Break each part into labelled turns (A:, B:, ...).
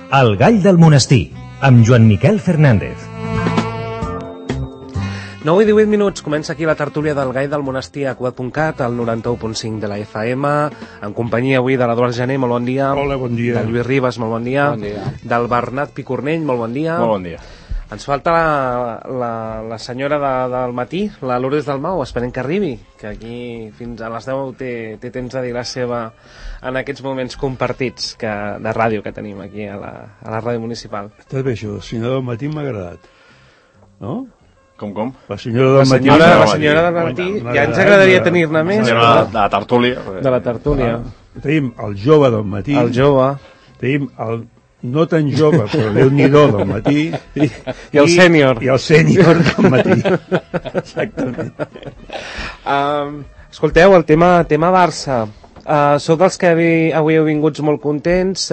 A: El gall del monestir, amb Joan Miquel Fernández.
B: 9 i 18 minuts, comença aquí la tertúlia del Gall del Monestir a Cugat.cat, al 91.5 de la FM, en companyia avui de l'Eduard Jané, molt bon dia.
C: Hola, bon dia.
B: Del Lluís Ribas, molt bon dia.
D: Bon dia.
B: Del Bernat Picornell, molt bon dia.
D: Molt bon dia.
B: Ens falta la senyora del matí, la Lourdes Dalmau, esperem que arribi, que aquí fins a les 10 té temps de dir la seva en aquests moments compartits de ràdio que tenim aquí a la ràdio municipal.
C: Està bé això, la senyora del matí m'ha agradat, no?
D: Com?
C: La senyora del matí.
B: La senyora del matí, ja ens agradaria tenir-ne més.
D: De la tertúlia.
B: De la tertúlia.
C: Tenim el jove del matí.
B: El jove.
C: Tenim el no tan jove, però Déu-n'hi-do del matí.
B: I el sènior.
C: I el sènior del matí. Exactament.
B: Escolteu, el tema Barça. Sou dels que avui heu vinguts molt contents,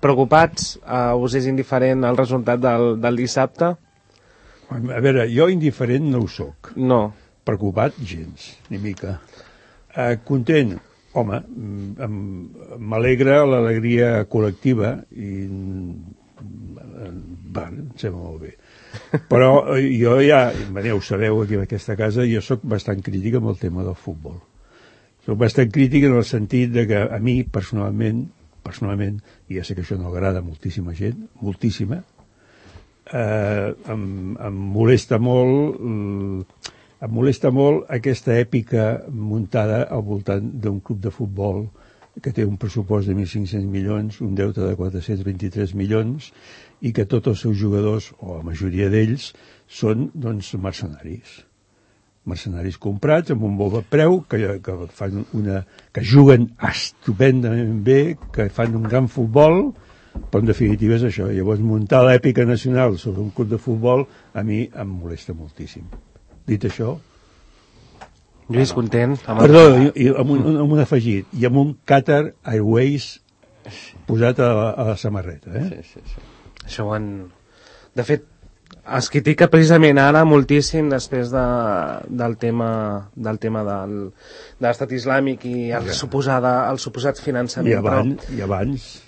B: preocupats, us és indiferent el resultat del dissabte?
C: A veure, jo indiferent no ho soc.
B: No.
C: Preocupat, gens, ni mica. Content, home, m'alegra l'alegria col·lectiva i em sembla molt bé. Però jo ja, ho sabeu aquí en aquesta casa, jo sóc bastant crític amb el tema del futbol. Sóc bastant crític en el sentit de que a mi, personalment, i ja sé que això no agrada a moltíssima gent, moltíssima, em molesta molt aquesta èpica muntada al voltant d'un club de futbol que té un pressupost de 1.500 milions, un deute de 423 milions i que tots els seus jugadors, o la majoria d'ells, són doncs mercenaris comprats amb un bo de preu que juguen estupendament bé, que fan un gran futbol, però en definitiva és això. Llavors muntar l'èpica nacional sobre un club de futbol a mi em molesta moltíssim. Dit això,
B: Lluís, content?
C: perdó, amb un afegit, i amb un Qatar Airways posat a la samarreta,
D: Sí.
B: Això de fet, es critica precisament ara moltíssim després del tema de l'estat islàmic i el suposat finançament.
C: I abans,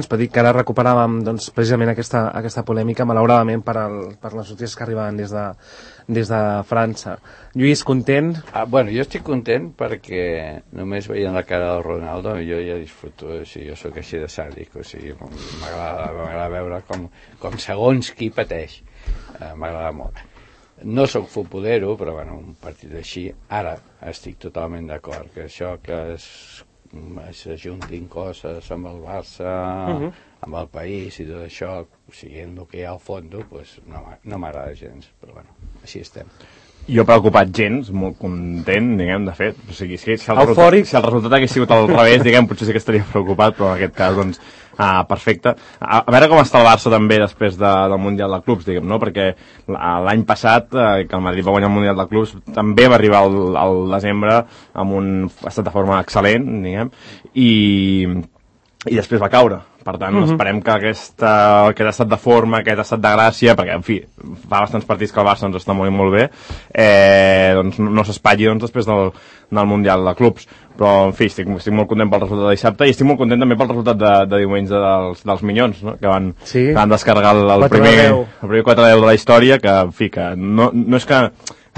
B: però dic que ara recuperàvem precisament aquesta polèmica, malauradament per les notícies que arribaven des de França. Lluís, content?
D: Bueno, jo estic content perquè només veient la cara del Ronaldo jo ja disfruto, o sigui, jo sóc així de sàdic, o sigui, m'agrada veure com segons qui pateix, m'agrada molt. No sóc futbolero, però bueno, un partit així, ara estic totalment d'acord, que això que s'ajuntin coses amb el Barça, amb el país i tot això, siguent el que hi ha al fons, pues no m'agrada gens, però bueno, així estem.
E: Jo preocupat gens, molt content, diguem, de fet. O sigui, si el resultat hagués sigut al revés, diguem, potser sí que estaria preocupat, però en aquest cas, doncs, perfecte. A veure com està el Barça també després del Mundial de Clubs, diguem, no? Perquè l'any passat, que el Madrid va guanyar el Mundial de Clubs, també va arribar al desembre amb un estat de forma excel·lent, diguem, i després va caure. Per tant, esperem que aquest estat de forma, aquest estat de gràcia, perquè, en fi, fa bastants partits que el Barça està molt i molt bé, doncs no s'espatlli després del Mundial de Clubs. Però, en fi, estic molt content pel resultat de dissabte i estic molt content també pel resultat de diumenge dels Minyons, no? Que van descarregar el primer 4-10 de la història, que, en fi, que no és que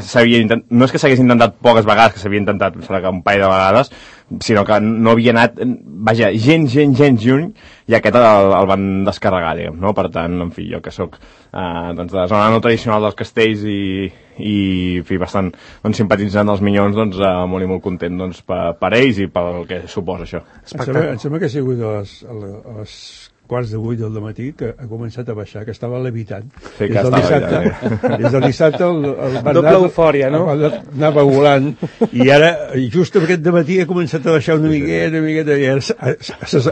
E: s'hagués intentat poques vegades, que s'havia intentat un parell de vegades, sinó que no havia anat, vaja, gens lluny, i aquest el van descarregar, diguem, no? Per tant, en fi, jo que sóc de la zona no tradicional dels Castells i en fi, bastant simpatitzant dels Minyons, doncs molt i molt content per ells i pel que suposa això.
C: Em sembla que ha sigut a les quarts de 8 del matí que ha començat a baixar, que estava levitant.
E: Sí, que
C: des del dissabte el Bernat
B: doble eufòria, no?
C: Anava volant i ara, just aquest dematí ha començat a baixar una miqueta i ara s'ha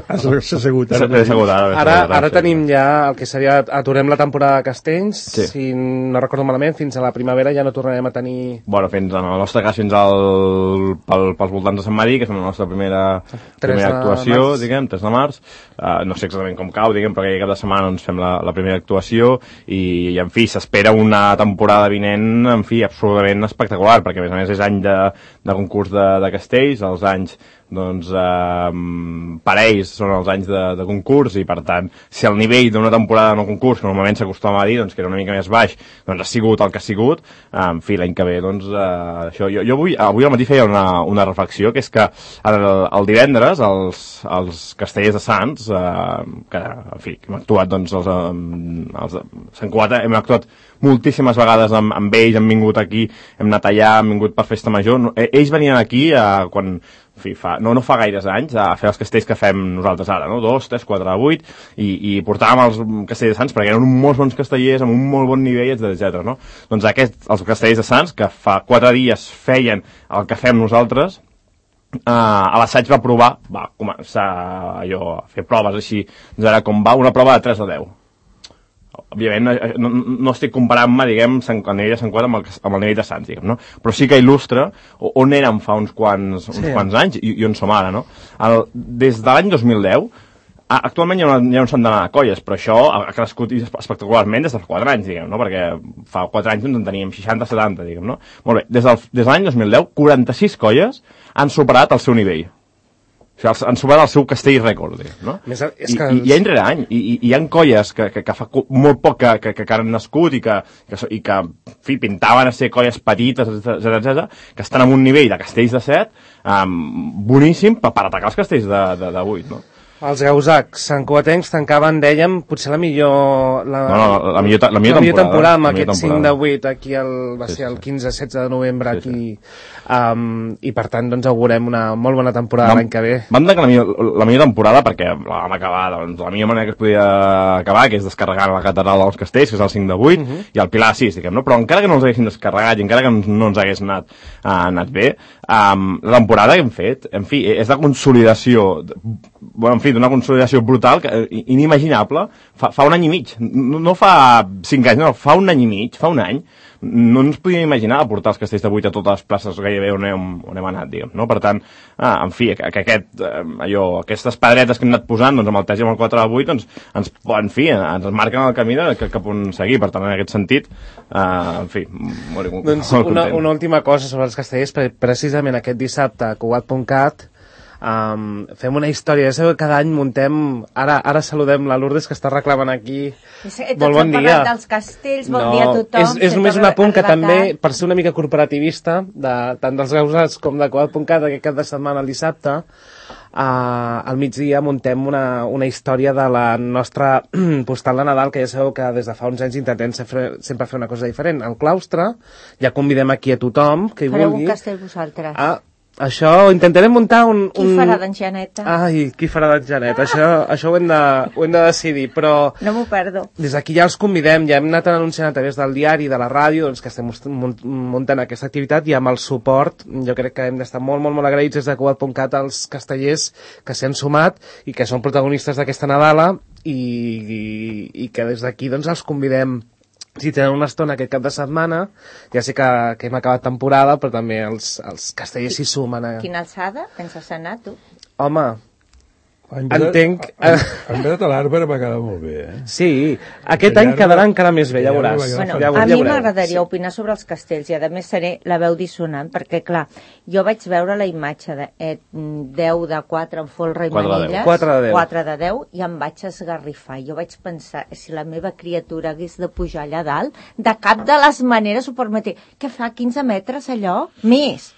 C: assegut.
B: Ara tenim ja el que seria, aturem la temporada de Castells, si no recordo malament, fins a la primavera ja no tornarem a tenir...
E: Bueno, en el nostre cas fins pels voltants de Sant Marí, que és la nostra primera actuació, diguem, 3 de març. No sé exactament com cau, diguem, perquè cada setmana ens fem la primera actuació i en fi, s'espera una temporada vinent, en fi, absolutament espectacular, perquè a més és any de concurs de castells, els anys doncs per ells són els anys de concurs i per tant si el nivell d'una temporada no concurs que normalment s'acostuma a dir doncs, que era una mica més baix doncs ha sigut el que ha sigut en fi l'any que ve doncs això, jo avui al matí feia una reflexió que és que el divendres els castellers de Sants que en fi hem actuat doncs els Sant Cugat hem actuat moltíssimes vegades amb ells, hem vingut aquí, hem anat allà, hem vingut per festa major. Ells venien aquí quan, en fi, no fa gaires anys a fer els castells que fem nosaltres ara, no? 2, 3, 4, 8, i portàvem els castellers de Sants perquè eren molts bons castellers amb un molt bon nivell, etc. No? Doncs els castellers de Sants, que fa 4 dies feien el que fem nosaltres, a l'assaig va començar allò, a fer proves així, doncs ara com va, una prova de 3 a 10. Òbviament no estic comparant-me, diguem, el nivell de Sant Cugat amb el nivell de Sants, diguem, no? Però sí que il·lustra on érem fa uns quants anys i on som ara, no? Des de l'any 2010, actualment hi ha un centenar de colles, però això ha crescut espectacularment des de fa 4 anys, diguem, no? Perquè fa 4 anys en teníem 60-70, diguem, no? Molt bé, des de l'any 2010, 46 colles han superat el seu nivell. O sigui, han superat el seu castell rècord, no? I any rere any. I hi ha colles que fa molt poc que han nascut i que en fi, pintaven a ser colles petites, etc., que estan en un nivell de castells de 7 boníssim per atacar els castells de 8, no?
B: Els gausacs santcugatencs tancaven, dèiem, potser la millor temporada amb aquest 5 de 8 aquí va ser el 15-16 de novembre aquí i per tant doncs augurem una molt bona temporada l'any que ve.
E: Vam tancar la millor temporada perquè vam acabar doncs, la millor manera que es podia acabar, que és descarregant la catedral dels castells, que és el 5 de 8 i el Pilar 6, diguem, no? Però encara que no els haguessin descarregat i encara que no ens hagués anat bé, la temporada que hem fet, en fi, és de consolidació, en fi, d'una consolidació brutal, inimaginable, fa un any i mig, no fa 5 anys, no, fa un any i mig, fa un any, no ens podíem imaginar portar els castells de 8 a totes les places gairebé on hem anat, diguem, no? Per tant, en fi, aquestes pedretes que hem anat posant, doncs, amb el 3 i amb el 4 de 8, doncs, en fi, ens marquen el camí cap on seguir, per tant, en aquest sentit, en fi, molt content.
B: Doncs una última cosa sobre els castellers, precisament aquest dissabte a Cugat.cat, fem una història, ja sabeu que cada any muntem, ara saludem la Lourdes que està reclamant aquí, molt bon dia
F: dels castells, bon dia a tothom,
B: és només un apunt que també, per ser una mica corporativista tant dels gausats com de Cugat.cat aquest cap de setmana el dissabte al migdia muntem una història de la nostra postal de Nadal, que ja sabeu que des de fa uns anys intentem sempre fer una cosa diferent. Al claustre ja convidem aquí a tothom que hi vulgui.
F: Fareu un castell vosaltres?
B: Això, intentarem muntar
F: Qui farà d'enxaneta?
B: Ai, qui farà d'enxaneta? Això ho hem de decidir, però...
F: No m'ho perdo.
B: Des d'aquí ja els convidem, ja hem anat anunciant a través del diari, de la ràdio, doncs que estem muntant aquesta activitat i amb el suport, jo crec que hem d'estar molt, molt, molt agraïts des de Cugat.cat als castellers que s'hi han sumat i que són protagonistes d'aquesta Nadala i que des d'aquí doncs els convidem. Si tenen una estona aquest cap de setmana, ja sé que hem acabat temporada, però també els castellers s'hi sumen.
F: Quina alçada penses anar, tu?
B: Home, entenc...
C: Han vedat a l'Arbre va quedar molt bé, eh?
B: Sí, aquest any quedarà encara més bé, ja veuràs.
F: Bueno, a mi m'agradaria opinar sobre els castells i a més seré la veu dissonant, perquè clar, jo vaig veure la imatge de 10 de 4 en folre i manilles, 4 de 10, i em vaig esgarrifar. Jo vaig pensar, si la meva criatura hagués de pujar allà dalt, de cap de les maneres ho permetia. Què fa, 15 metres allò? Més!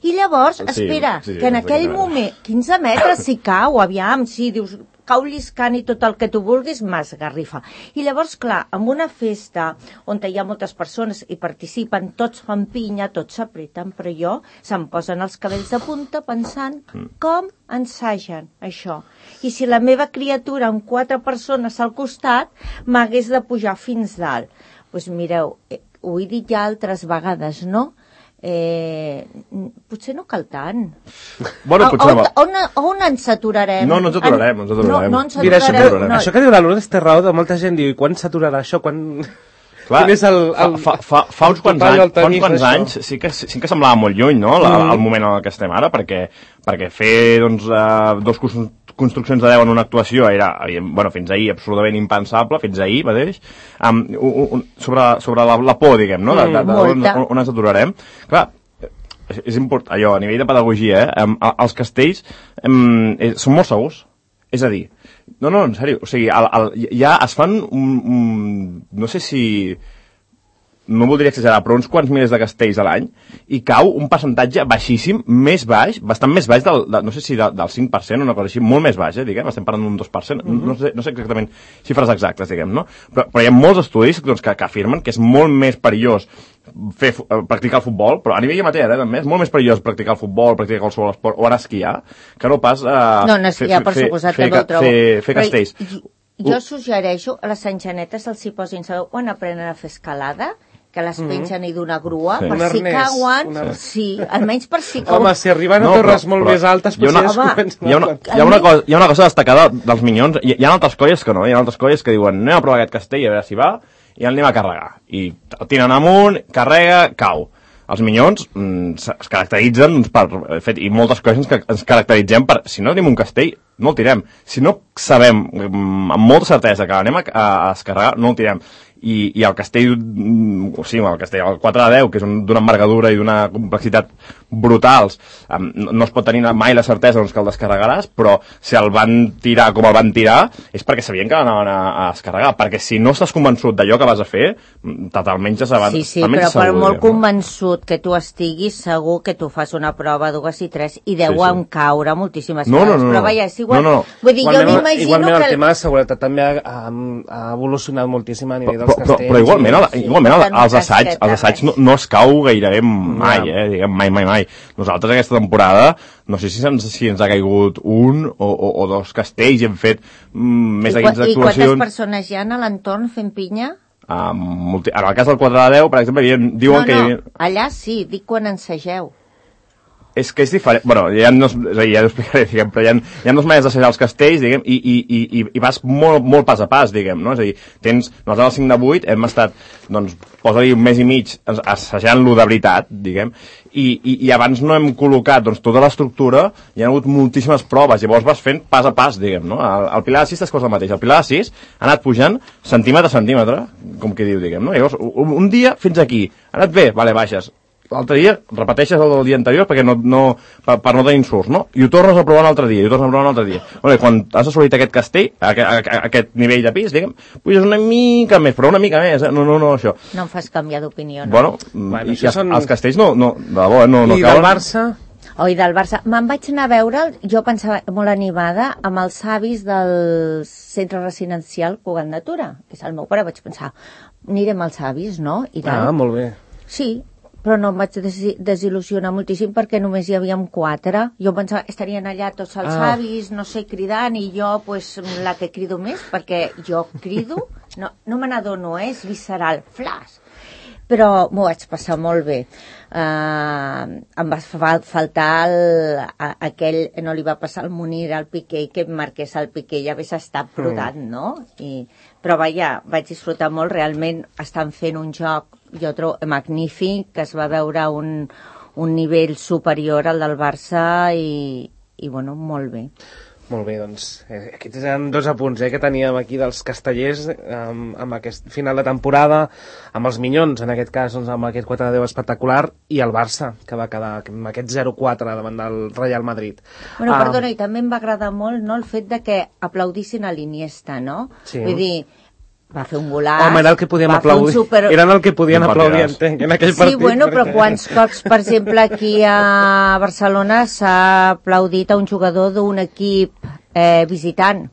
F: I llavors, espera, que en aquell moment, 15 metres si cau, aviam, si dius, cau lliscant i tot el que tu vulguis, m'esgarrifa. I llavors, clar, amb una festa on hi ha moltes persones i participen, tots fan pinya, tots s'apreten, però jo se'm posen els cabells de punta pensant com ensagen això. I si la meva criatura amb 4 persones al costat m'hagués de pujar fins dalt. Doncs mireu, ho he dit ja altres vegades, no? Potser no cal tant.
E: Bueno,
F: on ens aturarem?
E: No ens aturarem.
F: No ens
B: Mira,
F: aturarem.
B: això que diu la Lourdes té raó, de molta gent diu, i quan s'aturarà això?
E: Clar, fa uns quants anys sí que semblava molt lluny, no?, el moment en què estem ara, perquè fer doncs, 2 construccions de 10 en una actuació era, bueno, fins ahir absolutament impensable, fins ahir mateix, sobre la por, diguem, no?, on ens aturarem. Clar, és important, allò, a nivell de pedagogia, els castells són molt segurs. És a dir, no, en sèrio, o sigui, ja es fan no sé si... no voldria exagerar, però uns quants milers de castells a l'any, i cau un percentatge baixíssim, més baix, bastant més baix no sé si del 5%, una cosa així, molt més baix, diguem, estem parlant d'un 2%, no sé exactament xifres exactes, diguem, no? Però hi ha molts estudis que afirmen que és molt més perillós practicar el futbol, però a nivell amateur, també, és molt més perillós practicar el futbol, practicar qualsevol esport, o anar a esquiar, que no pas
F: esquiar, per suposat, també ho trobo.
E: Fer castells.
F: Jo suggereixo a les enxanetes se'ls hi posin, sabeu, quan aprenen a fer escalada, que les pengen i d'una grua, per si cauen, sí, almenys per si cauen.
B: Home, si arriben a torres molt més altes, potser es comencen
E: hi ha una cosa destacada dels Minyons, hi ha altres colles que no, hi ha altres colles que diuen anem a provar aquest castell, a veure si va, i el anem a carregar. I el tiren amunt, carrega, cau. Els Minyons es caracteritzen i moltes coses ens caracteritzem per, si no tenim un castell, no el tirem. Si no sabem amb molta certesa que anem a descarregar, no el tirem. I el castell, el 4 de 10, que és d'una envergadura i d'una complexitat brutals, no es pot tenir mai la certesa que el descarregaràs, però si el van tirar com el van tirar és perquè sabien que l'anaven a descarregar, perquè si no estàs convençut d'allò que vas a fer, totalment ja s'abans.
F: Sí, però per molt convençut que tu estiguis, segur que tu fas una prova 2 i 3 i deuen caure moltíssimes coses, però vaja, és igual. Vull dir, jo m'imagino que...
B: Igualment el tema de seguretat també ha evolucionat moltíssim a nivell dels castells.
E: Però igualment els assaigs no es cau gairebé mai, diguem, mai. Nosaltres aquesta temporada, no sé si ens ha caigut un o 2 castells i hem fet més de 15 actuacions.
F: I quantes persones hi ha a l'entorn fent pinya?
E: En el cas del 4 de 10, per exemple, diuen que...
F: No, allà sí, dic quan ensageu.
E: És que és diferent, bueno, ja ho explicaré, diguem, però hi ha dues maneres d'assajar els castells, diguem, i vas molt pas a pas, diguem, no? És a dir, nosaltres al 5 de 8 hem estat, doncs, posa-li un mes i mig assajant-lo de veritat, diguem, i abans no hem col·locat, doncs, tota l'estructura, hi ha hagut moltíssimes proves, llavors vas fent pas a pas, diguem, no? El Pilar de 6 és cosa el mateix, el Pilar de 6 ha anat pujant centímetre a centímetre, com que diu, diguem, no? Llavors, un dia fins aquí, ha anat bé, vale, baixes, l'altre dia repeteixes el del dia anterior perquè per no tenir insults, no? I ho tornes a provar un altre dia, Bueno, quan has assolit aquest castell, aquest nivell de pis, diguem, puges una mica més, però una mica més, no, això.
F: No em fas canviar d'opinió, no?
E: Bueno, els castells no, de debò, no
B: cauen. I del Barça?
F: I del Barça. Me'n vaig anar a veure'l, jo pensava molt animada, amb els avis del centre residencial Cugat Natura, que és el meu pare, vaig pensar, anirem als avis, no?
B: Molt bé.
F: Sí, però no em vaig desil·lusionar moltíssim perquè només hi havíem 4. Jo pensava que estarien allà tots els avis, no sé, cridant, i jo, pues, la que crido més, perquè jo crido, no me n'adono, és visceral, flash. Però m'ho vaig passar molt bé. Em va faltar aquell, no li va passar al Munir, al Piqué, que em marqués el Piqué, ja hagués estat brotant, no? Però vaja, vaig disfrutar molt, realment estan fent un joc, jo trobo magnífic, que es va veure un nivell superior al del Barça i bueno, molt bé.
B: Molt bé, doncs, aquests eren 2 apunts que teníem aquí dels castellers amb aquest final de temporada, amb els Minyons, en aquest cas, doncs, amb aquest 4 de 10 espectacular, i el Barça, que va quedar amb aquest 0-4 davant del Real Madrid.
F: Bueno, perdona, i també em va agradar molt, no?, el fet de que aplaudissin a l'Iniesta, no?
B: Sí.
F: Vull dir, va fer un golaç...
B: Home, era el que podíem aplaudir. Eren el que podien aplaudir, entenc, en aquell partit.
F: Sí, bueno, però quants cops, per exemple, aquí a Barcelona s'ha aplaudit a un jugador d'un equip visitant,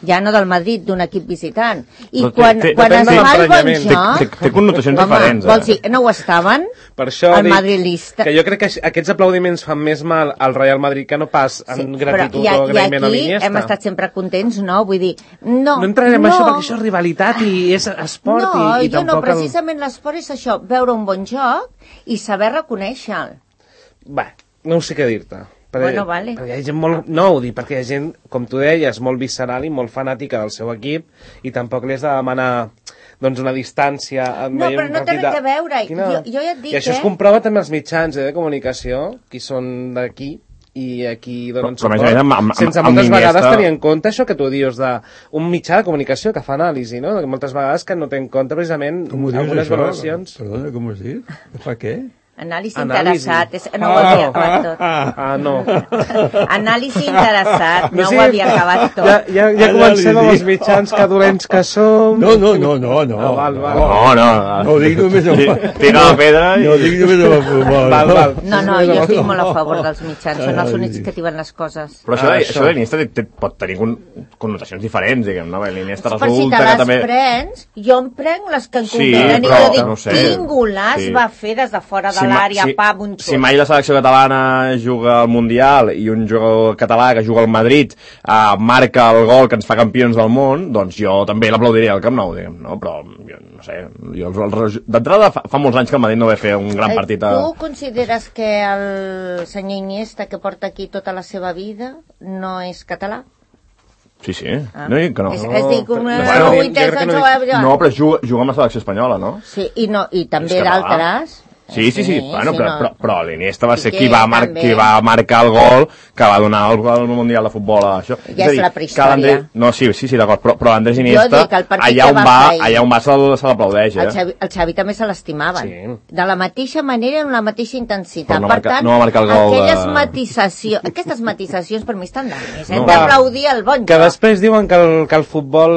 F: ja no del Madrid, d'un equip visitant. I quan es fa el bon joc...
E: Té connotacions diferents.
F: Vols dir, no ho estaven?
B: Per això
F: el madrilista...
B: Que jo crec que aquests aplaudiments fan més mal al Real Madrid que no pas en gratitud o agraïment a l'Iniesta.
F: I aquí hem estat sempre contents, no? Vull dir, no
B: entrarem en això perquè això és rivalitat i és esport i tampoc...
F: No, precisament l'esport és això, veure un bon joc i saber reconèixer-lo.
B: Bé, no sé què dir-te.
F: Bueno, vale.
B: Perquè hi ha gent molt... No, ho dic perquè hi ha gent, com tu deies, molt visceral i molt fanàtica del seu equip i tampoc li has de demanar doncs una distància...
F: No, però no té res a veure. Jo ja et dic,
B: I això es comprova també als mitjans de comunicació, qui són d'aquí i aquí donen suport, sense moltes vegades tenir en compte això que tu dius d'un mitjà de comunicació que fa anàlisi, no? Moltes vegades que no té en compte precisament algunes valoracions.
C: Perdona, com ho has dit? Que fa què?
F: Anàlisi interessat, no ho havia acabat tot.
B: No.
F: Anàlisi interessat, no ho havia acabat tot.
B: Ja comencem amb els mitjans que dolents que som.
C: No.
E: No,
C: dic només
E: tira la pedra i...
C: No, dic només amb el futbol.
F: No, jo estic molt a favor dels mitjans, són els únics que diuen les coses.
E: Però això de l'Iniesta pot tenir connotacions diferents, diguem, no? L'Iniesta
F: per si te les prens, jo em prenc les que em convenen i jo dic, quin golaç va fer des de fora de l'àrea, un xut.
E: Si mai la selecció catalana juga al Mundial i un jugador català que juga al Madrid marca el gol que ens fa campions del món, doncs jo també l'aplaudiria al Camp Nou, diguem, no? Però jo no sé, d'entrada fa molts anys que el Madrid no va fer un gran partit.
F: Tu consideres que el senyor Iniesta, que porta aquí tota la seva vida, no és català?
E: Sí. No dic que no.
F: No,
E: però juga amb la selecció espanyola, no?
F: Sí, i també d'altres.
E: Sí. Bueno, però l'Iniesta va ser qui va marcar el gol que va donar el Mundial de Futbol a això.
F: Ja és la prehistòria.
E: No, sí, d'acord, però Andrés Iniesta, allà on va se l'aplaudeix.
F: El Xavi també se l'estimaven. De la mateixa manera, amb la mateixa intensitat.
E: Per tant,
F: aquestes matisacions per mi estan d'anys. Hem d'aplaudir el bon joc.
B: Que després diuen que el futbol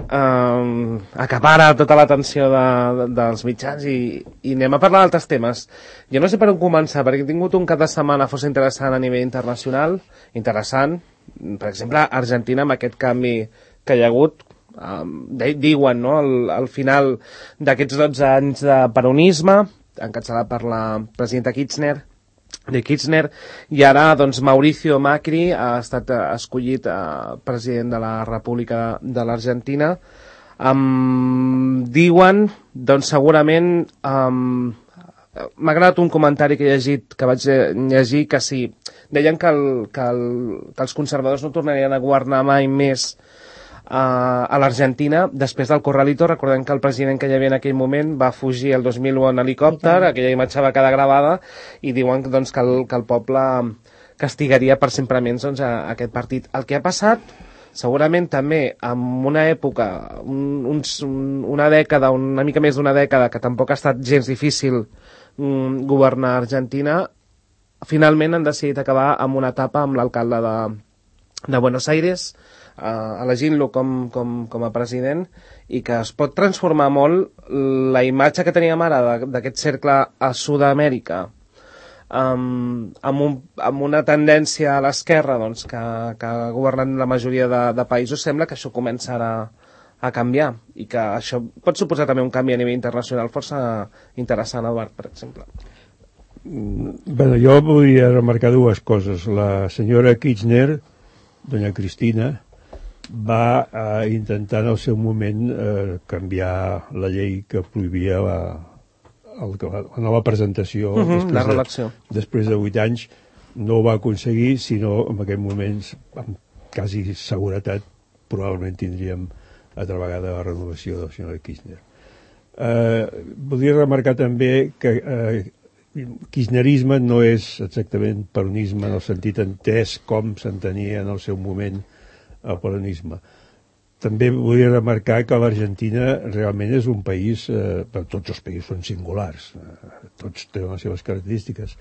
B: acapara tota l'atenció dels mitjans i anem a parlar d'altres temes. Jo no sé per on començar, perquè he tingut un cap de setmana força interessant a nivell internacional, per exemple, Argentina, amb aquest canvi que hi ha hagut, diuen, no?, al final d'aquests 12 anys de peronisme, encapçalat per la presidenta Kirchner, i ara, doncs, Mauricio Macri ha estat escollit president de la República de l'Argentina. Diuen, doncs, segurament... M'ha agradat un comentari que he llegit, que vaig llegir, que sí, deien que els conservadors no tornarien a governar mai més a l'Argentina després del Corralito. Recordem que el president que hi havia en aquell moment va fugir el 2001 en helicòpter, aquella imatge va quedar gravada, i diuen doncs, que el poble castigaria per sempre menys doncs, aquest partit. El que ha passat, segurament també en una època, una dècada, una mica més d'una dècada, que tampoc ha estat gens difícil governar Argentina, finalment han decidit acabar amb una etapa amb l'alcalde de Buenos Aires, elegint-lo com a president, i que es pot transformar molt la imatge que teníem ara d'aquest cercle a Sud-amèrica, amb una tendència a l'esquerra, doncs, que ha governat la majoria de països. Sembla que això començarà a canviar i que això pot suposar també un canvi a nivell internacional força interessant, Eduard, per exemple.
C: Bé, jo volia remarcar dues coses. La senyora Kirchner, doña Cristina, va intentar en el seu moment canviar la llei que prohibia la nova presentació després de 8 anys. No ho va aconseguir, sinó en aquell moment, amb quasi seguretat, probablement tindríem altra vegada la renovació del senyor Kirchner. Voldria remarcar també que kirchnerisme no és exactament peronisme en el sentit entès com s'entenia en el seu moment el peronisme. També volia remarcar que l'Argentina realment és un país, tots els països són singulars, tots tenen les seves característiques,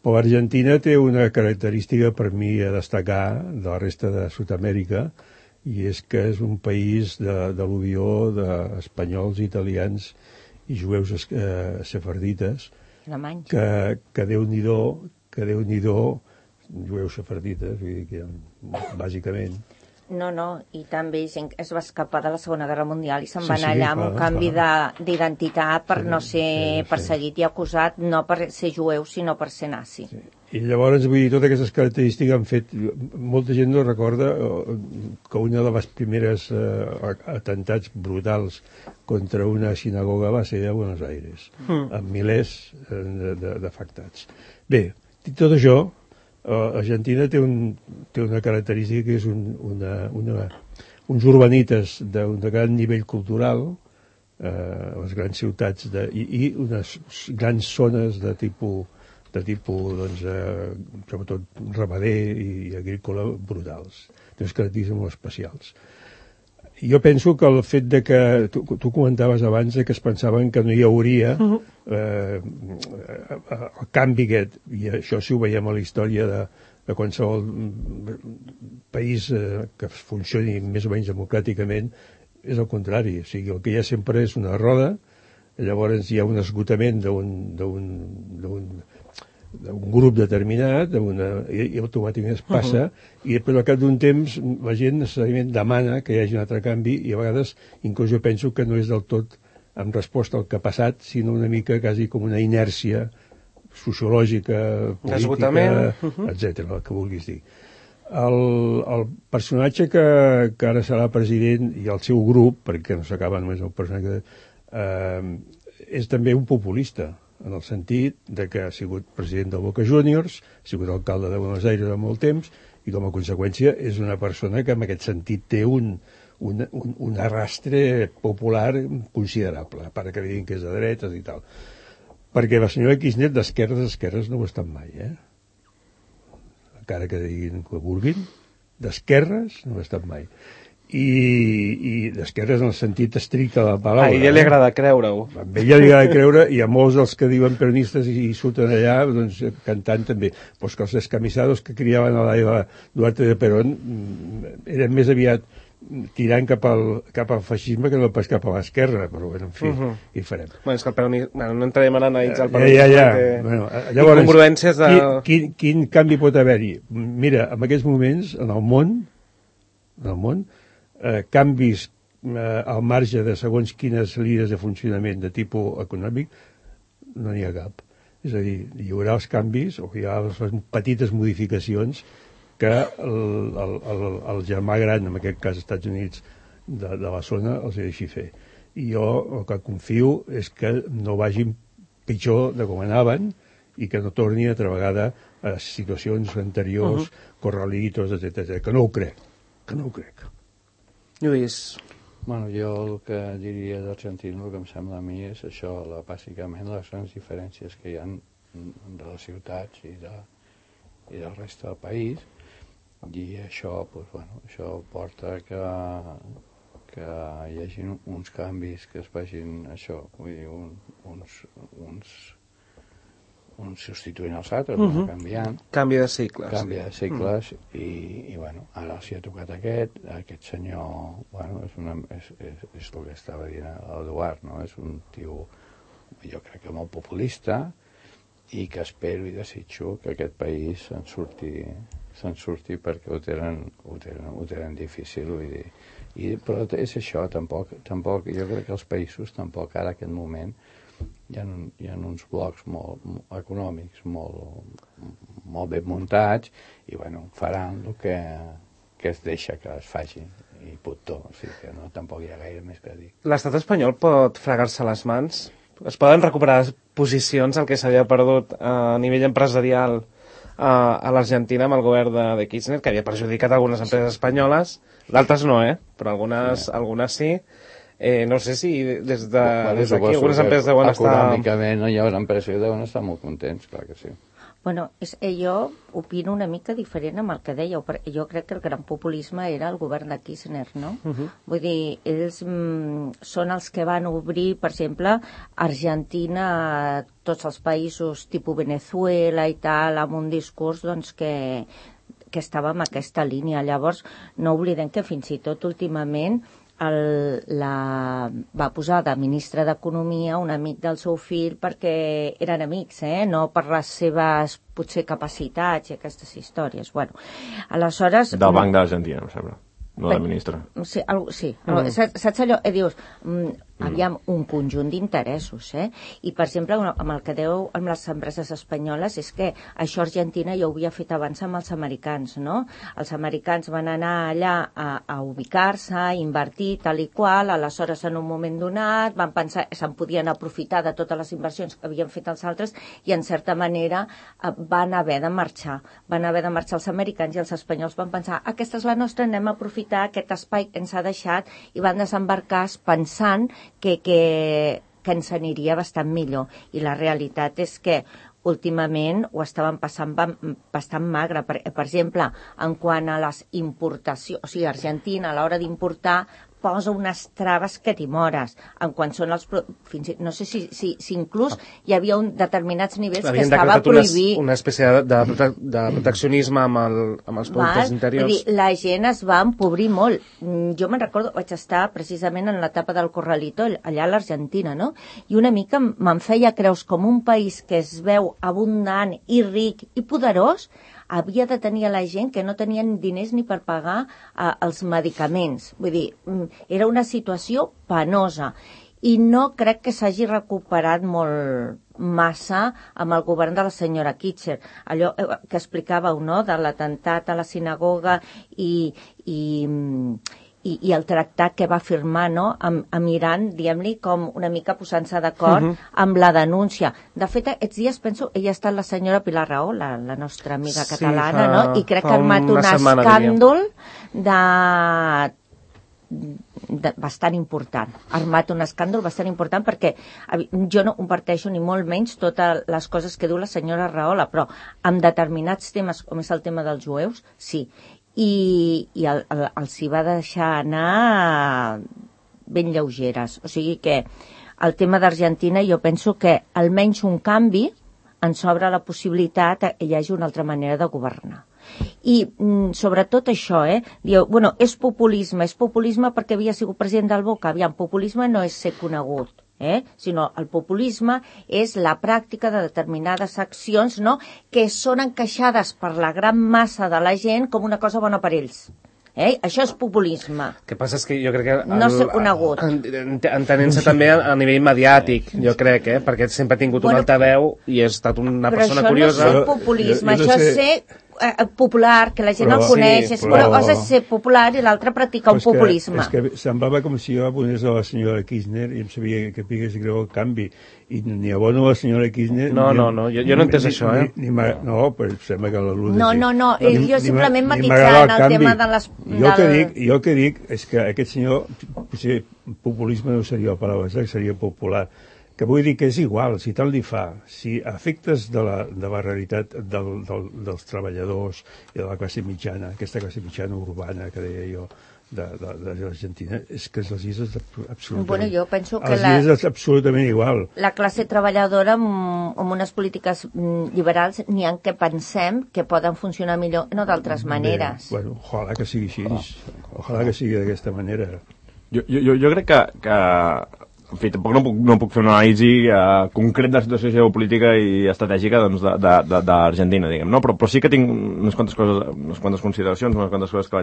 C: però l'Argentina té una característica per mi a destacar de la resta de Sud-amèrica, i és que és un país d'al·luvió d'espanyols, italians i jueus sefardites, que Déu-n'hi-do, jueus sefardites, bàsicament.
F: No, i també es va escapar de la Segona Guerra Mundial i se'n va anar allà amb un canvi d'identitat per no ser perseguit i acusat, no per ser jueu, sinó per ser nazi.
C: I llavors, vull dir, totes aquestes característiques han fet... Molta gent no recorda que una de les primeres atemptats brutals contra una sinagoga va ser a Buenos Aires, amb milers d'afectats. Bé, dit tot això, Argentina té una característica que és uns urbanites d'un gran nivell cultural, les grans ciutats i unes grans zones de tipus doncs, sobretot ramader i agrícola brutals, unes característiques molt especials. Jo penso que el fet de que tu comentaves abans que es pensaven que no hi hauria el canvi aquest, i això si ho veiem a la història de qualsevol país que funcioni més o menys democràticament, és el contrari. O sigui, el que hi ha sempre és una roda, llavors hi ha un esgotament d'un grup determinat i automàticament es passa i després al cap d'un temps la gent necessàriament demana que hi hagi un altre canvi i a vegades inclús jo penso que no és del tot en resposta al que ha passat sinó una mica quasi com una inèrcia sociològica, política, etc. el que vulguis dir. El personatge que ara serà president i el seu grup, perquè no s'acaba només el personatge, és també un populista en el sentit de que ha sigut president del Boca Juniors, ha sigut alcalde de Buenos Aires de molt temps, i com a conseqüència és una persona que en aquest sentit té un arrastre popular considerable, a part que diguin que és de dretes i tal. Perquè la senyora Kirchner d'esquerres no ho ha estat mai, encara que diguin que vulguin, d'esquerres no ho ha estat mai. I d'esquerres en el sentit estricte de la paraula.
B: A ella li agrada creure-ho.
C: A ella li agrada creure i a molts dels que diuen peronistes i surten allà doncs, cantant també. Pues que els descamisados que criaven a la Duarte de Perón eren més aviat tirant cap al feixisme que no pas cap a l'esquerra, però bueno, en fi, què hi farem?
B: Bueno, és que el peronisme, no entrarem a analitzar el peronisme,
C: bueno, llavors,
B: incongruències de...
C: Quin canvi pot haver-hi? Mira, en aquests moments, en el món, canvis al marge de segons quines línies de funcionament de tipus econòmic no n'hi ha cap. És a dir, hi haurà els canvis o hi haurà les petites modificacions que el germà gran, en aquest cas als Estats Units de la zona, els deixi fer. I jo el que confio és que no vagin pitjor de com anaven i que no torni altra vegada a situacions anteriors, corralitos, etc. Que no ho crec.
B: Lluís.
D: Bueno, jo el que diria d'Argentina, el que em sembla a mi és això, bàsicament les grans diferències que hi ha de les ciutats i del resta del país, i això, doncs, bueno, això porta que hi hagi uns canvis que es vagin, això, vull dir, uns substituint els altres, canviant.
B: Canvi de cicles.
D: Canvi de cicles i bueno, ara els hi ha tocat aquest senyor, bueno, és el que estava dient l'Eduard, no? És un tio, jo crec que molt populista i que espero i desitjo que aquest país se'n surti perquè ho tenen difícil, vull dir. Però és això, tampoc, jo crec que els països tampoc ara en aquest moment hi ha uns blocs molt econòmics molt ben muntats i bueno, faran el que es deixa que es faci i puto, o sigui que no, tampoc hi ha gaire més que dir.
B: L'estat espanyol pot fregar-se les mans? Es poden recuperar posicions al que s'havia perdut a nivell empresarial a l'Argentina amb el govern de Kirchner, que havia perjudicat algunes empreses espanyoles, d'altres no, però algunes sí. No sé si des d'aquí algunes empreses deuen estar...
D: Econòmicament no hi haurà empreses que deuen estar molt contents, clar que sí.
F: Bueno, jo opino una mica diferent amb el que dèieu, perquè jo crec que el gran populisme era el govern de Kirchner, no? Vull dir, ells són els que van obrir, per exemple, Argentina, tots els països tipus Venezuela i tal, amb un discurs doncs, que estava en aquesta línia. Llavors, no oblidem que fins i tot últimament va posar de ministre d'Economia un amic del seu fill perquè eren amics, no per les seves potser capacitats i aquestes històries. Bueno, aleshores...
E: Del Banc d'Argentina, em sembla. No de ministre.
F: Sí. Saps allò? Dius, aviam, un conjunt d'interessos, I, per exemple, amb el que deu amb les empreses espanyoles és que això Argentina ja ho havia fet abans amb els americans, no? Els americans van anar allà a ubicar-se, a invertir, tal i qual, aleshores, en un moment donat, van pensar que se'n podien aprofitar de totes les inversions que havien fet els altres i, en certa manera, van haver de marxar. Van haver de marxar els americans i els espanyols van pensar aquesta és la nostra, anem a aprofitar aquest espai que ens ha deixat i van desembarcar pensant que ens aniria bastant millor. I la realitat és que últimament ho estaven passant bastant magre. Per exemple, en quant a les importacions, o sigui, Argentina a l'hora d'importar posa unes traves que t'hi mores. En quan són els... No sé si inclús hi havia determinats nivells que estava prohibit.
B: Una espècie de proteccionisme amb els productes interiors.
F: Vull dir, la gent es va empobrir molt. Jo me'n recordo, vaig estar precisament en l'etapa del Corralito, allà a l'Argentina, no? I una mica me'n feia creus com un país que es veu abundant i ric i poderós, havia de tenir a la gent que no tenien diners ni per pagar els medicaments. Vull dir, era una situació penosa. I no crec que s'hagi recuperat molt massa amb el govern de la senyora Kitcher. Allò que explicàveu, no?, de l'atemptat a la sinagoga i el tractat que va firmar, no?, amb Iran, diguem-li, com una mica posant-se d'acord amb la denúncia. De fet, aquests dies penso, ella ha estat la senyora Pilar Rahola, la nostra amiga catalana, no?, i crec que ha armat un escàndol bastant important. Ha armat un escàndol bastant important perquè jo no comparteixo ni molt menys totes les coses que diu la senyora Rahola, però amb determinats temes, com és el tema dels jueus, sí. I els hi va deixar anar ben lleugeres. O sigui que el tema d'Argentina jo penso que almenys un canvi ens obre la possibilitat que hi hagi una altra manera de governar. I sobretot això, diu, bueno, és populisme perquè havia sigut president del Boca. Aviam, populisme no és ser conegut, sinó el populisme és la pràctica de determinades accions, no?, que són encaixades per la gran massa de la gent com una cosa bona per ells. Això és populisme.
B: El que passa és que jo crec que...
F: No ser conegut.
B: Entenent-se també a nivell mediàtic, jo crec, perquè sempre ha tingut un altaveu i ha estat una persona curiosa.
F: Però això no és populisme, això és ser popular, que la gent el coneix, una cosa és ser popular i l'altra practicar un populisme.
C: És que semblava com si jo ponés a la senyora Kirchner i em sabia que pigués greu el canvi, i ni abono a la senyora Kirchner...
B: No, jo no he entès això,
C: No, però sembla que la Lourdes...
F: No, jo simplement matitzant el tema de les...
C: Jo el que dic és que aquest senyor, potser populisme no seria la paraula, seria popular, que vull dir que és igual, si tant li fa, si a efectes de la realitat dels treballadors i de la classe mitjana, aquesta classe mitjana urbana que deia jo, de l'Argentina, és que les illes és absolutament...
F: Bueno, jo penso que
C: les illes és absolutament igual.
F: La classe treballadora amb unes polítiques liberals n'hi ha que pensem que poden funcionar millor, no d'altres maneres.
C: Bueno, ojalà que sigui així, ojalà que sigui d'aquesta manera.
E: Jo crec que en fi, tampoc no puc fer una anàlisi concret de la situació geopolítica i estratègica d'Argentina, diguem, no? Però sí que tinc unes quantes consideracions, unes quantes coses que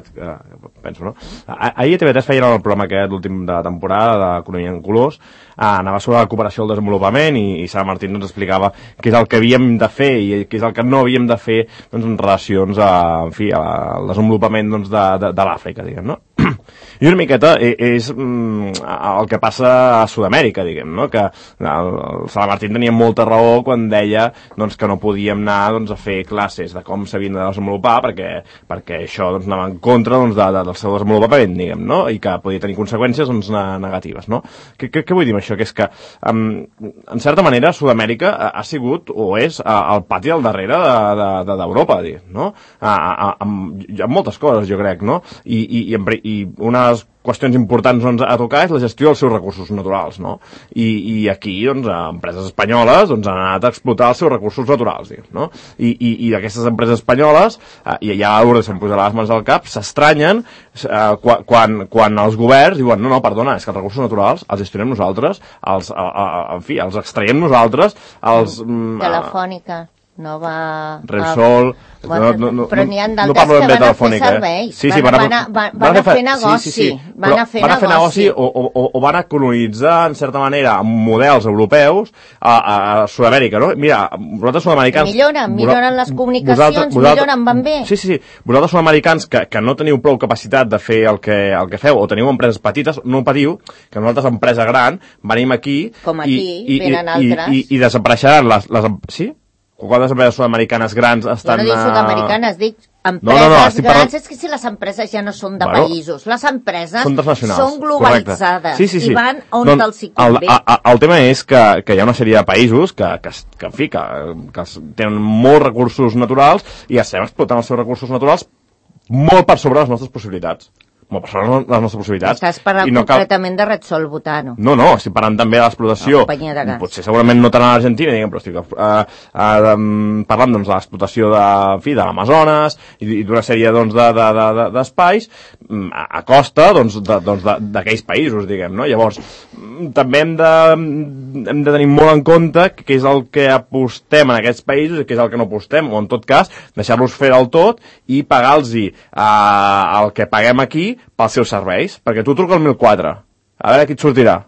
E: penso, no? Ahir a TV3 feien el programa aquest, l'últim de temporada, d'Economia en Colors, anava sobre la cooperació al desenvolupament i Sara Martín ens explicava què és el que havíem de fer i què és el que no havíem de fer en relacions al desenvolupament de l'Àfrica, diguem, no? I una miqueta és el que passa a Sud-amèrica, diguem, no? Que el Sala Martín tenia molta raó quan deia que no podíem anar a fer classes de com s'havien de desenvolupar perquè això anava en contra del seu desenvolupament, diguem, no? I que podia tenir conseqüències negatives, no? Què vull dir amb això? Que és que, en certa manera, Sud-amèrica ha sigut o és el pati al darrere d'Europa, diguem, no? Amb moltes coses, jo crec, no? I una de les qüestions importants a tocar és la gestió dels seus recursos naturals, no? I aquí, empreses espanyoles han anat a explotar els seus recursos naturals, diguem, no? I aquestes empreses espanyoles, i ja a l'hora de se'm posarà les mans al cap, s'estranyen quan els governs diuen, no, perdona, és que els recursos naturals els gestionem nosaltres, els extraiem nosaltres,
F: Telefònica.
E: Repsol,
F: però n'hi ha d'altres que van a fer serveis, van a fer negoci, van a fer negoci
E: o van a colonitzar en certa manera amb models europeus a Sud-amèrica, no? Mira, vosaltres sud-americans
F: milloren les comunicacions, van bé.
E: Sí, vosaltres sud-americans que no teniu prou capacitat de fer el que feu o teniu empreses petites, no patiu que nosaltres, empresa gran, venim aquí
F: com aquí, venen altres
E: i desapareixeran les sí? Quantes empreses sud-americanes grans estan...
F: Jo no dic sud-americanes, dic empreses grans. És que si les empreses ja no són de països, les empreses són globalitzades i van on els hi convé.
E: El tema és que hi ha una sèrie de països que tenen molts recursos naturals i estem explotant els seus recursos naturals molt per sobre les nostres possibilitats. per sobre les nostres possibilitats.
F: Estàs parlant completament de Repsol Butano.
E: No, estic parlant també de l'explotació. Potser segurament no tant a l'Argentina, diguem, però estic parlant doncs, de l'explotació de l'Amazones i d'una sèrie d'espais a costa d'aquells països, diguem, no? Llavors, també hem de tenir molt en compte què és el que apostem en aquests països i què és el que no apostem, o en tot cas, deixar-los fer del tot i pagar-los el que paguem aquí pels seus serveis, perquè tu truca al 1004, a veure qui et sortirà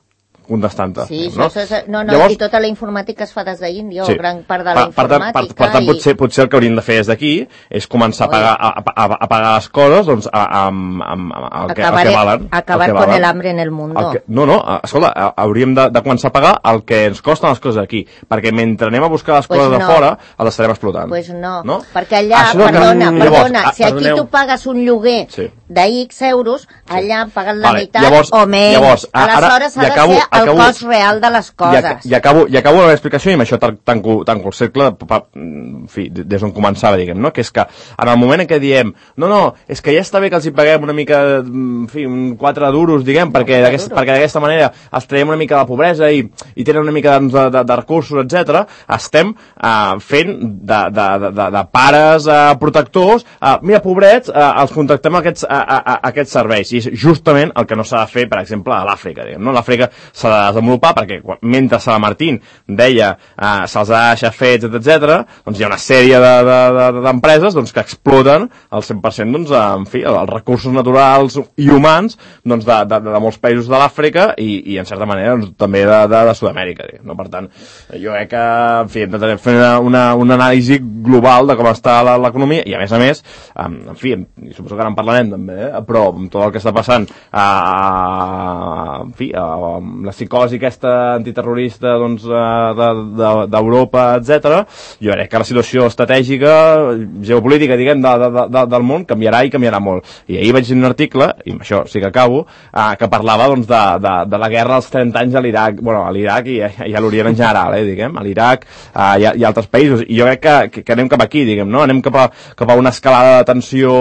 E: contestant-te.
F: Sí, llavors, i tota la informàtica es fa des d'Índia, o gran part de la informàtica.
E: Per tant, potser el que hauríem de fer des d'aquí és començar a pagar les coses doncs, amb el que valen.
F: Acabar con el hambre en el mundo.
E: Escolta, hauríem de començar a pagar el que ens costen les coses aquí, perquè mentre anem a buscar les coses de fora, les estarem explotant.
F: Pues no, perquè allà, perdona, si aquí tu pagues un lloguer de X euros, allà paguen la meitat o menys. Aleshores ha de ser el cost real de les coses.
E: I acabo la meva explicació i amb això tanco el cercle, en fi, des d'on començava, diguem, no? Que és que en el moment en què diem és que ja està bé que els hi paguem una mica, en fi, 4 duros, diguem, perquè d'aquesta manera els traiem una mica de la pobresa i tenen una mica de recursos, etc. Estem fent de pares protectors, mira, pobrets, els contractem aquests serveis, i és justament el que no s'ha de fer, per exemple, a l'Àfrica, diguem, no? L'Àfrica s'ha de desenvolupar perquè mentre Sala Martín deia se'ls ha de deixar fets, etc., doncs hi ha una sèrie d'empreses que exploten el 100% en fi, els recursos naturals i humans de molts països de l'Àfrica i en certa manera també de Sud-amèrica. No? Per tant, jo crec que en fi, hem de fer una anàlisi global de com està l'economia i a més, en fi, suposo que ara en parlarem també, però amb tot el que està passant en fi, la psicosi aquesta antiterrorista d'Europa, etc. Jo crec que la situació estratègica, geopolítica, diguem, del món canviarà i canviarà molt. I ahir vaig dir un article, i amb això sí que acabo, que parlava de la guerra dels 30 anys a l'Iraq, a l'Iraq i a l'Orient en general, diguem, a l'Iraq i altres països. I jo crec que anem cap aquí, diguem, no? Anem cap a una escalada de tensió,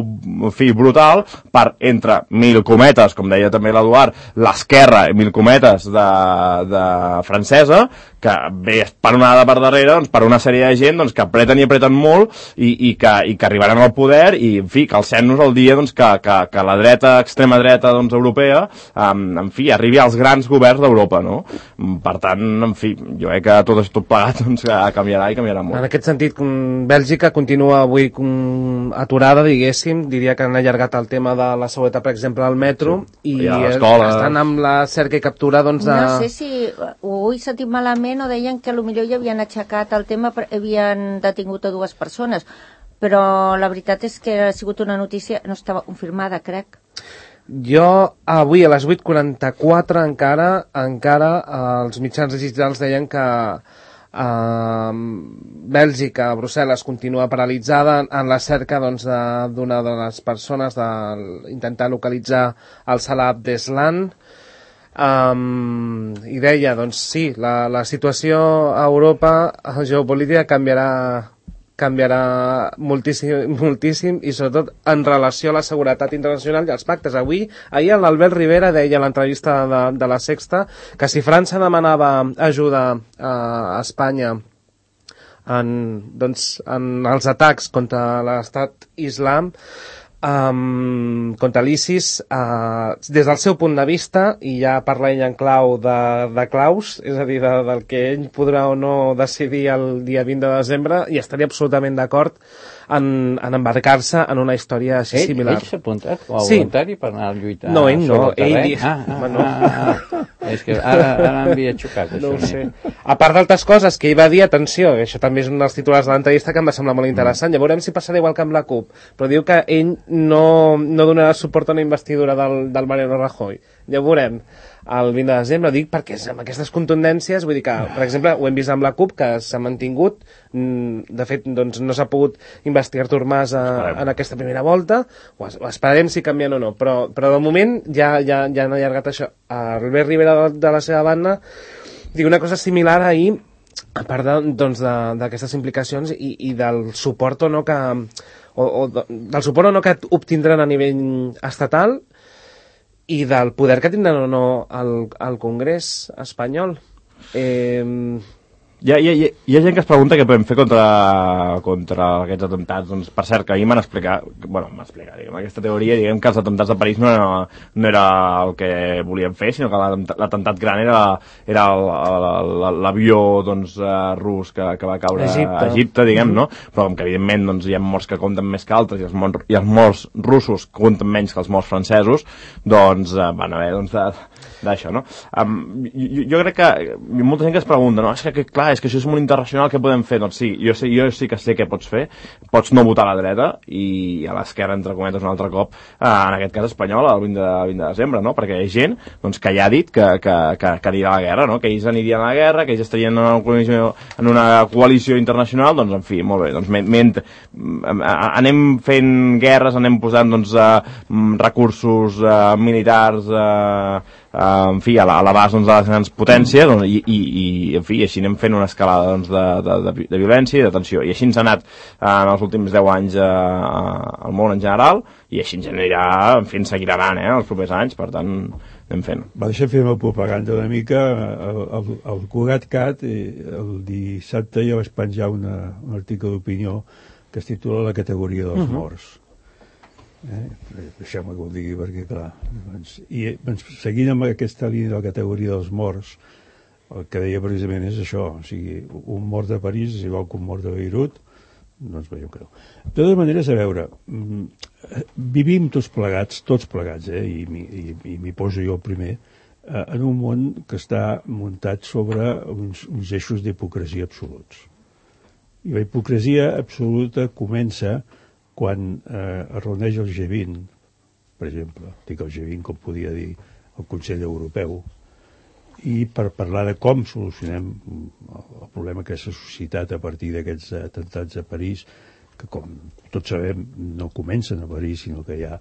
E: en fi, brutal, per entre mil cometes, com deia també l'Eduard, l'esquerra, mil cometes de francesa, que ve esperonada per darrere per una sèrie de gent que apreten i apreten molt i que arribaran al poder i, en fi, que alcem-nos el dia que la dreta, extrema dreta europea, en fi, arribi als grans governs d'Europa, no? Per tant, en fi, jo crec que tot plegat canviarà i canviarà molt.
B: En aquest sentit, Bèlgica continua avui aturada, diguéssim, diria que han allargat el tema de la seguretat, per exemple, al metro, i estan amb la cerca i captura,
F: No sé si ho he sentit malament o deien que potser ja havien aixecat el tema, havien detingut a 2 persones, però la veritat és que ha sigut una notícia, no estava confirmada, crec.
B: Jo avui a les 8:44 encara els mitjans digitals deien que Bèlgica, Brussel·les, continua paralitzada en la cerca d'una de les persones d'intentar localitzar el Salah Abdeslam. I deia, sí, la situació a Europa geopolítica canviarà moltíssim i sobretot en relació a la seguretat internacional i als pactes. Ahir l'Albert Rivera deia a l'entrevista de La Sexta que si França demanava ajuda a Espanya en els atacs contra l'estat islam, contra l'ISIS, des del seu punt de vista, i ja parla ell en clau de claus, és a dir, del que ell podrà o no decidir el dia 20 de desembre, i estaria absolutament d'acord en embarcar-se en una història així similar.
D: Ell s'ha apuntat com a voluntari per anar a lluitar?
B: No, ell no.
D: És que ara m'havia xocat.
B: No ho sé. A part d'altres coses que ell va dir, atenció, això també és un dels titulars de l'entrevista que em va semblar molt interessant, ja veurem si passarà igual que amb la CUP, però diu que ell no donarà suport a una investidura del Mariano Rajoy. Ja ho veurem el 20 de desembre, dic perquè amb aquestes contundències, vull dir que, per exemple, ho hem vist amb la CUP, que s'ha mantingut, de fet, no s'ha pogut investigar Artur Mas en aquesta primera volta, ho esperarem si canvien o no, però de moment ja han allargat això. Albert Rivera, de la seva banda, diu una cosa similar ahir, a part d'aquestes implicacions i del suport o no que del suport o no que obtindran a nivell estatal, i del poder que tindran o no al Congrés espanyol.
E: Hi ha gent que es pregunta què podem fer contra aquests atemptats. Doncs, per cert, que ahir m'han explicat, aquesta teoria, diguem que els atemptats de París no era el que volien fer, sinó que l'atemptat gran era l'avió doncs, rus que va caure a Egipte, diguem, no? Però com que evidentment doncs, hi ha morts que compten més que altres i els morts russos compten menys que els morts francesos, doncs van haver d'això, no? Jo crec que hi ha molta gent que es pregunta, no? És que clar, és que això és molt internacional, què podem fer? Doncs sí, jo sí que sé què pots fer. Pots no votar a la dreta i a l'esquerra, entre cometes, un altre cop, en aquest cas espanyol, el 20 de desembre, no? Perquè hi ha gent doncs, que ja ha dit que anirà a la guerra, no? Que ells anirien a la guerra, que ells estarien en una coalició internacional, doncs, en fi, molt bé. Doncs, anem fent guerres, anem posant doncs, recursos militars en fi, a l'abast doncs, de les grans potències doncs, i en fi, així anem fent una escalada doncs, de violència i de tensió, i així ens ha anat en els últims 10 anys al món en general, i així ens anirà, en fi, ens seguirà anant els propers anys, per tant anem fent.
C: Deixa fer una propaganda una mica. El Cugat-Cat el dissabte ja vaig penjar un article d'opinió que es titula La categoria dels morts. Deixeu-me que ho digui perquè clar seguint amb aquesta línia de la categoria dels morts, el que deia precisament és això, o sigui, un mort de París és igual que un mort de Beirut, doncs veieu que no. De totes maneres, a veure, vivim tots plegats, i m'hi poso jo el primer, en un món que està muntat sobre uns eixos d'hipocresia absoluts. I la hipocresia absoluta comença quan es reuneix el G20, per exemple, dic el G20 com podia dir el Consell Europeu, i per parlar de com solucionem el problema que s'ha suscitat a partir d'aquests atemptats a París, que com tots sabem no comencen a París, sinó que ja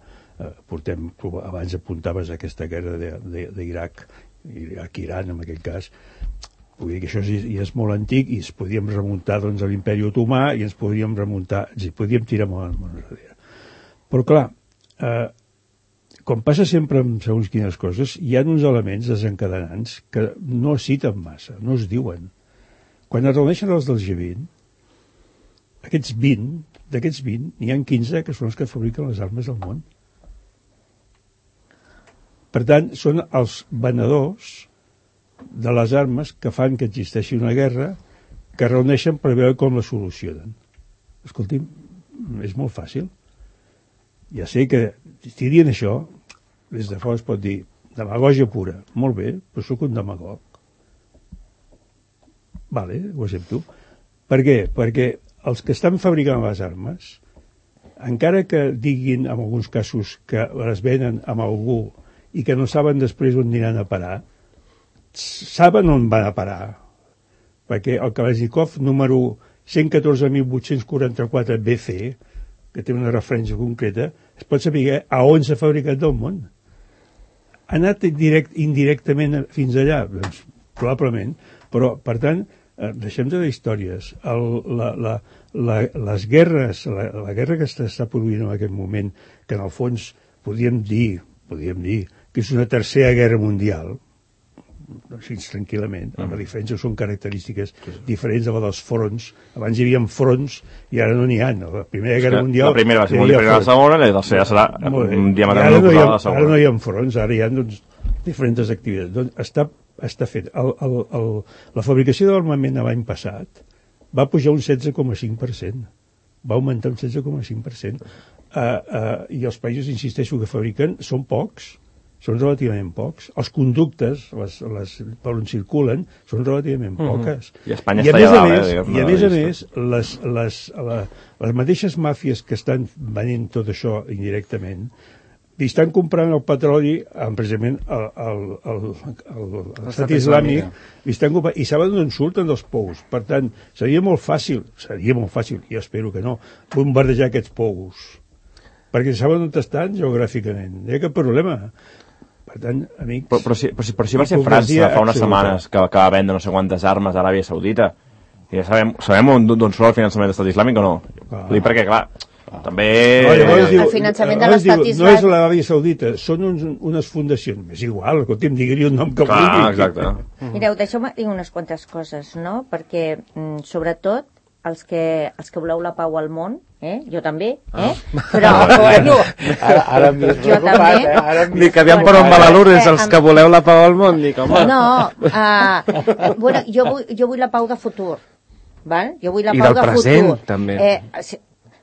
C: portem, abans apuntaves aquesta guerra d'Iraq, Iraq-Iran en aquell cas. Vull dir que això ja és molt antic i ens podíem remuntar doncs, a l'imperi otomà i ens podíem tirar molt enrere. Però clar, com passa sempre amb segons quines coses, hi ha uns elements desencadenants que no es citen massa, no es diuen. Quan es reuneixen els del G20, d'aquests 20, n'hi ha 15 que són els que fabriquen les armes del món. Per tant, són els venedors de les armes que fan que existeixi una guerra, que reuneixen per veure com la solucionen. Escolti'm, és molt fàcil. Ja sé que si dient això, des de fora es pot dir demagògia pura. Molt bé, però sóc un demagog. Vale, ho accepto. Per què? Perquè els que estan fabricant les armes, encara que diguin en alguns casos que les venen amb algú i que no saben després on aniran a parar, saben on van a parar, perquè el Kalashnikov número 114.844 BC, que té una referència concreta, es pot saber a on s'ha fabricat del món. Ha anat indirectament fins allà? Doncs probablement, però per tant deixem de dir històries. Les guerres, la guerra que s'està produint en aquest moment, que en el fons podríem dir que és una tercera guerra mundial, així tranquil·lament, la diferència són característiques diferents de la dels fronts. Abans hi havia fronts i ara no n'hi ha. La primera guerra mundial...
E: La primera va ser molt diferent a la segona, i la tercera serà un diametralment oposat a la segona.
C: Ara no hi ha fronts, ara hi ha diferents activitats. Doncs està fet. La fabricació d'armament l'any passat va pujar un 16,5%. Va augmentar un 16,5%. I els països, insisteixo, que fabriquen són pocs. Són relativament pocs. Els conductes, per on circulen, són relativament poques.
E: I Espanya està allà.
C: I a més, les mateixes màfies que estan venent tot això indirectament, li estan comprant el petroli, precisament l'estat islàmic, i saben d'on surten dels pous. Per tant, seria molt fàcil, jo espero que no, bombardejar aquests pous. Perquè saben on estan geogràficament. No hi ha cap problema. Per tant, amics...
E: Però si va ser França fa unes setmanes que va vendre no sé quantes armes a Aràbia Saudita, i ja sabem d'on surt el finançament de l'Estat Islàmic o no? Perquè, clar, També...
F: El finançament de l'Estat
C: Israel... No és l'Aràbia Saudita, són unes fundacions. És igual, escolti'm, digui-li un nom que vulgui.
E: Exacte.
F: Mireu, deixeu-me dir unes quantes coses, no? Perquè, sobretot, els que voleu la pau al món, jo també, però bueno,
D: ara m'he preocupat,
F: ara
B: dic, aviam per on va la Lourdes, els que voleu la pau al món, dic, home.
F: No, bueno, jo vull la pau de futur, val? Jo vull la pau de futur.
B: I del present, també.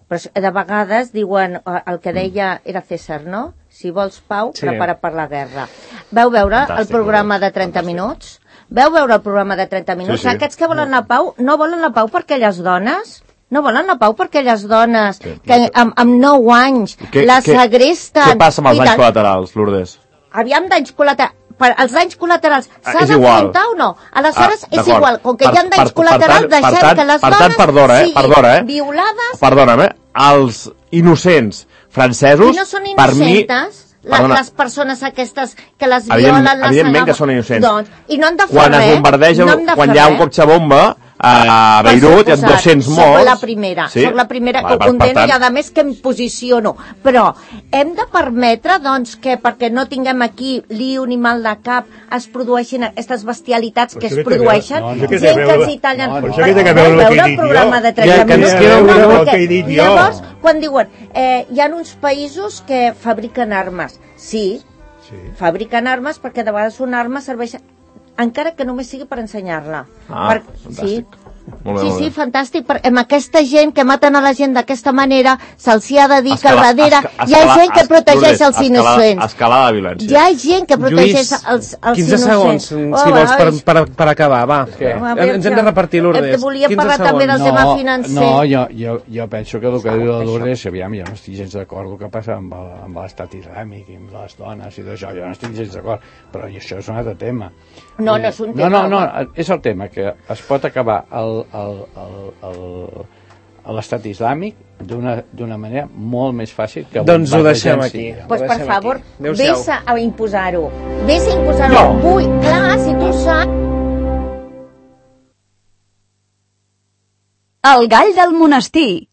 F: Però de vegades diuen, el que deia era César, no? Si vols pau, prepara per la guerra. Vau veure el programa de 30 minuts? Veu veure el programa de 30 minuts? Sí. Aquests que volen la pau, no volen la pau per aquelles dones? No volen la pau per aquelles dones que amb 9 anys la segresten...
E: Què passa amb els danys col·laterals, Lourdes?
F: Aviam, danys col·laterals. Els danys col·laterals s'ha d'afrontar o no? Aleshores és igual, com que hi ha danys col·laterals, deixem que les dones siguin violades...
E: Perdona'm, els innocents francesos,
F: no són innocentes, les persones aquestes que les violen...
E: Evidentment que són innocents.
F: Doncs, i no han de fer
E: quan es bombardeja, quan hi ha un cotxe bomba a Beirut, hi ha 200 morts.
F: Soc la primera que ho condeno i a més que em posiciono. Però hem de permetre doncs, que perquè no tinguem aquí lío ni mal de cap es produeixin aquestes bestialitats que es produeixen, gent que els hi tallen per veure el programa de 30 minuts. Llavors, quan diuen hi ha uns països que fabriquen armes, sí, fabriquen armes perquè de vegades una arma serveix encara que només sigui per ensenyar-la.
E: Fantàstic.
F: Sí, fantàstic. Amb aquesta gent que maten a la gent d'aquesta manera, se'ls ha de dir que al darrere hi ha gent que protegeix els innocents.
E: Escalada de violència.
F: Hi ha gent que protegeix els innocents.
B: 15 segons, si vols, per acabar, va. Ens hem de repartir, Lourdes.
F: Volia parlar també del tema financer.
D: No, jo penso que el que diu la Lourdes, aviam, jo no estic gens d'acord el que passa amb l'estat islàmic i amb les dones i d'això, jo no estic gens d'acord, però això és un altre tema.
F: No és un tema.
D: No, és el tema, que es pot acabar l'estat islàmic d'una manera molt més fàcil que...
B: Doncs ho deixem aquí.
F: Doncs per favor, vés a imposar-ho. Vés a imposar-ho. Vull, clar, si tu saps...
G: El gall del monestir.